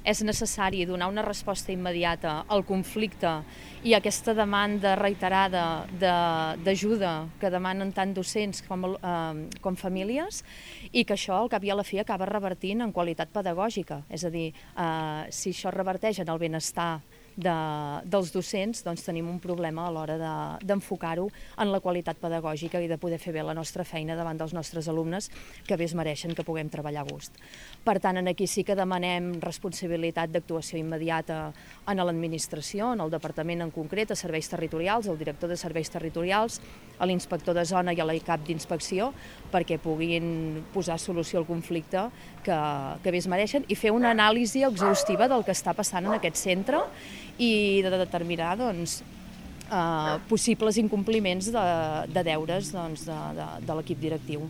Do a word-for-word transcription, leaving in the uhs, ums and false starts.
és necessari donar una resposta immediata al conflicte i a aquesta demanda reiterada d'ajuda que demanen tant docents com, eh, com famílies, i que això al cap i a la fi acaba revertint en qualitat pedagògica. És a dir, eh, si això reverteix en el benestar de, dels docents, doncs tenim un problema a l'hora d'enfocar-ho en la qualitat pedagògica i de poder fer bé la nostra feina davant dels nostres alumnes, que bé es mereixen que puguem treballar a gust. Per tant, aquí sí que demanem responsabilitat d'actuació immediata en l'administració, en el departament en concret, a serveis territorials, al director de serveis territorials, a l'inspector de zona i a l'I C A P d'inspecció, perquè puguin posar solució al conflicte que, que bé es mereixen i fer una anàlisi exhaustiva del que està passant en aquest centre i de determinar doncs, eh, possibles incompliments de, de deures doncs, de, de, de l'equip directiu.